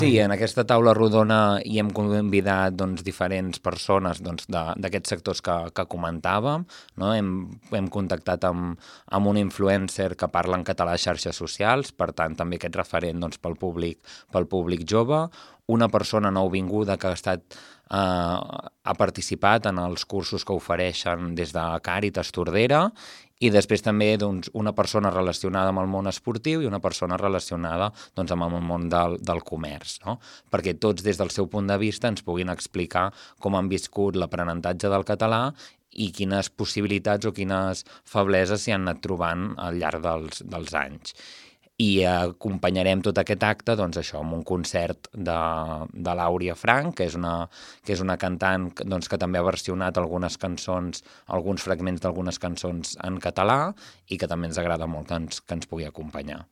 Sí, en aquesta taula rodona hi hem convidat diferents persones d'aquests sectors que comentàvem. No? Hem contactat amb un influencer que parla en català a xarxes socials, per tant també aquest referent pel públic jove. Una persona nouvinguda que ha participat en els cursos que ofereixen des de Càritas Tordera, i després també una persona relacionada amb el món esportiu i una persona relacionada amb el món del comerç, no? Perquè tots des del seu punt de vista ens puguin explicar com han viscut l'aprenentatge del català i quines possibilitats o quines febleses s'hi han anat trobant al llarg dels anys. I acompanyarem tot aquest acte amb un concert de l'Àurea Frank, que és una cantant que també ha versionat algunes cançons, alguns fragments d'algunes cançons en català, i que també ens agrada molt que ens pugui acompanyar.